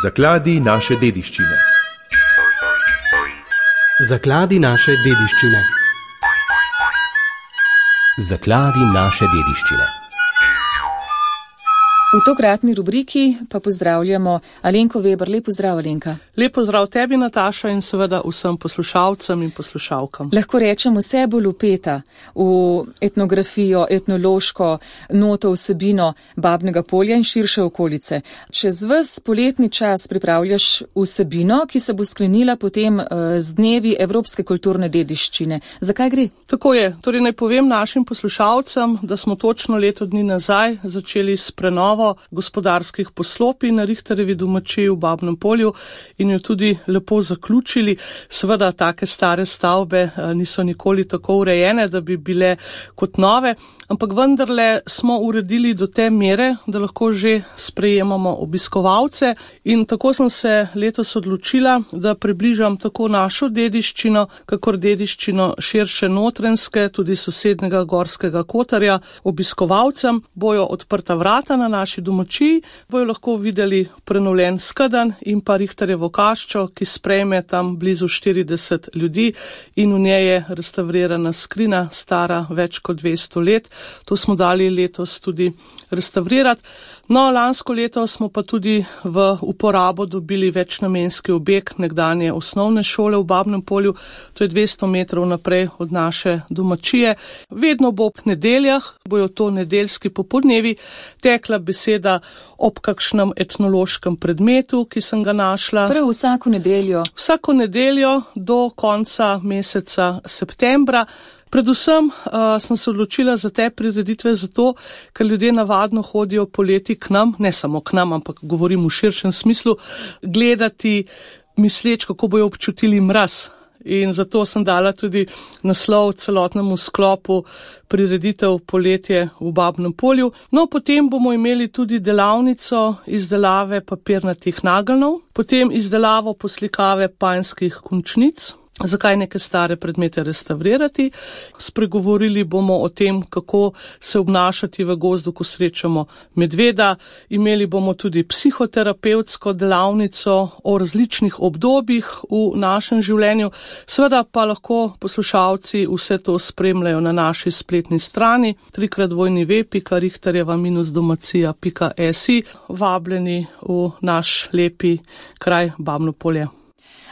Zakladi naše dediščine. Zakladi naše dediščine. Zakladi naše dediščine. V tokratni rubriki pa pozdravljamo Alenko Veber. Lep pozdrav, Alenka. Lep pozdrav tebi, Nataša, in seveda vsem poslušalcem in poslušalkam. Lahko rečem, vse bolj vpeta v etnografijo, etnološko noto, vsebino Babnega Polja in širše okolice. Čez ves poletni čas pripravljaš vsebino, ki se bo sklenila potem z dnevi Evropske kulturne dediščine. Zakaj gre? Tako je. Torej naj povem našim poslušalcem, da smo točno leto dni nazaj začeli s prenovo gospodarskih poslopij na Richterjevi domačiji v Babnem Polju in jo tudi lepo zaključili. Seveda take stare stavbe niso nikoli tako urejene, da bi bile kot nove, ampak vendarle smo uredili do te mere, da lahko že sprejemamo obiskovalce, in tako sem se letos odločila, da približam tako našo dediščino, kakor dediščino širše Notranjske, tudi sosednjega Gorskega Kotarja. Obiskovalcem bojo odprta vrata na naši domačiji, bojo lahko videli prenovljen skedenj in pa Richterjevo kaščo, ki sprejme tam blizu 40 ljudi, in v njej je restavrirana skrina, stara več kot 200 let. To smo dali letos tudi restavrirati. No, lansko leto smo pa tudi v uporabo dobili večnamenski objekt nekdanje osnovne šole v Babnem Polju. To je 200 metrov naprej od naše domačije. Vedno bo ob nedeljah, bojo to nedeljski popoldnevi, tekla beseda ob kakšnem etnološkem predmetu, ki sem ga našla. Prav vsako nedeljo? Vsako nedeljo do konca meseca septembra. Predvsem sem se odločila za te prireditve zato, ker ljudje navadno hodijo poleti k nam, ne samo k nam, ampak govorim v širšem smislu, gledati misleč, kako bojo občutili mraz. In zato sem dala tudi naslov celotnemu sklopu prireditev Poletje v Babnem Polju. No, potem bomo imeli tudi delavnico izdelave papirnatih nageljnov, potem izdelavo poslikave panjskih končnic. Zakaj neke stare predmete restavrirati? Spregovorili bomo o tem, kako se obnašati v gozdu, ko srečamo medveda. Imeli bomo tudi psihoterapevtsko delavnico o različnih obdobjih v našem življenju. Seveda pa lahko poslušalci vse to spremljajo na naši spletni strani www.richterjeva-domacija.si. Vabljeni v naš lepi kraj Babno Polje.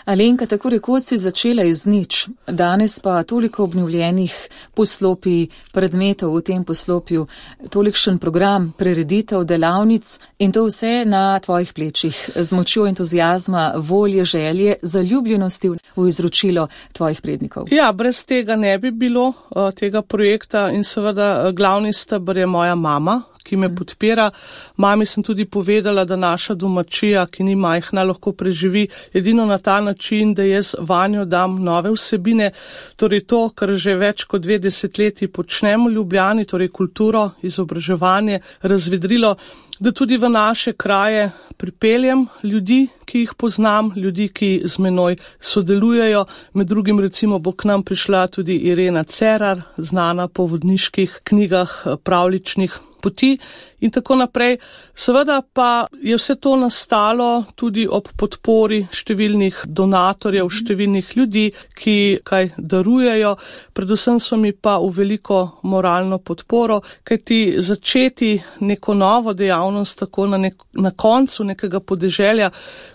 Alenka, tako rekoč si začela iz nič, danes pa toliko obnovljenih poslopij, predmetov v tem poslopju, tolikšen program, prireditev, delavnic, in to vse na tvojih plečih, z močjo entuziazma, volje, želje, zaljubljenosti v izročilo tvojih prednikov. Ja, brez tega ne bi bilo tega projekta, in seveda glavni steber je moja mama, ki me podpira. Mami sem tudi povedala, da naša domačija, ki ni majhna, lahko preživi edino na ta način, da jaz vanjo dam nove vsebine, torej to, kar že več kot 2 desetletji počnemo v Ljubljani, torej kulturo, izobraževanje, razvedrilo, da tudi v naše kraje pripeljem ljudi, ki jih poznam, ljudi, ki z menoj sodelujejo. Med drugim recimo bo k nam prišla tudi Irena Cerar, znana po vodniških knjigah, pravličnih poti in tako naprej. Seveda pa je vse to nastalo tudi ob podpori številnih donatorjev, številnih ljudi, ki kaj darujejo. Predvsem so mi pa v veliko moralno podporo, kajti začeti neko novo dejavnost tako na koncu nekega podeželja,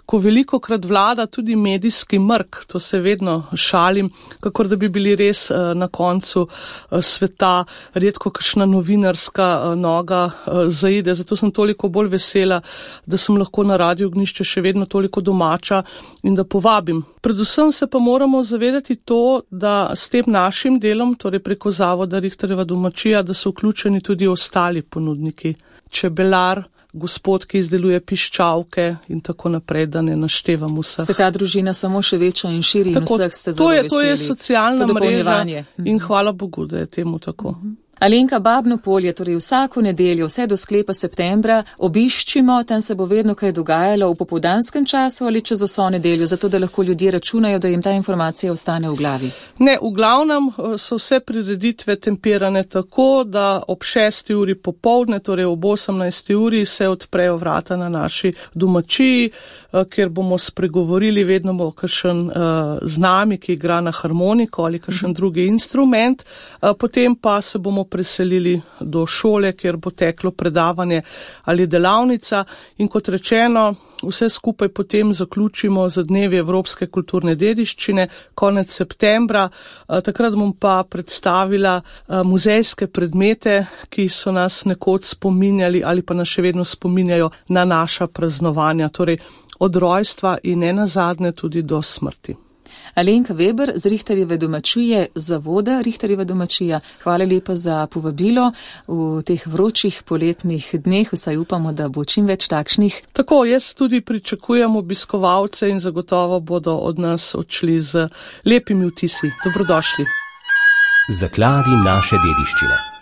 ko velikokrat vlada tudi medijski mrk, to se vedno šalim, kakor da bi bili res na koncu sveta, redko kakšna novinarska noga zaide. Zato sem toliko bolj vesela, da sem lahko na Radiu Ognjišče še vedno toliko domača in da povabim. Predvsem se pa moramo zavedati to, da s tem našim delom, torej preko Zavoda Richterjeva domačija, da so vključeni tudi ostali ponudniki. Čebelar, gospod, ki izdeluje piščalke in tako naprej, da ne naštevam vseh. Se ta družina samo še večja in širi in vseh ste zelo veseli. To je socialna mreža in hvala Bogu, da je temu tako. Alenka, Babno polje, torej vsako nedeljo, vse do sklepa septembra, obiščimo, tam se bo vedno kaj dogajalo v popoldanskem času ali čez vso nedeljo, zato da lahko ljudje računajo, da jim ta informacija ostane v glavi. Ne, v glavnem so vse prireditve tempirane tako, da ob 6. uri popoldne, torej ob 18. uri, se odprejo vrata na naši domačiji, kjer bomo spregovorili, vedno bo kakšen z nami, ki igra na harmoniko ali kakšen drugi instrument, potem pa se bomo preselili do šole, kjer bo teklo predavanje ali delavnica in kot rečeno, vse skupaj potem zaključimo za dnevi Evropske kulturne dediščine, konec septembra. Takrat bom pa predstavila muzejske predmete, ki so nas nekoč spominjali ali pa nas še vedno spominjajo na naša praznovanja, torej od rojstva in nenazadnje tudi do smrti. Alenka Veber z Rihterjeve domačije, zavoda Rihterjeva domačija. Hvala lepa za povabilo v teh vročih poletnih dneh, vsaj upamo, da bo čim več takšnih. Tako, jaz tudi pričakujem obiskovalce in zagotovo bodo od nas odšli z lepimi vtisi. Dobrodošli. Zakladi naše dediščine.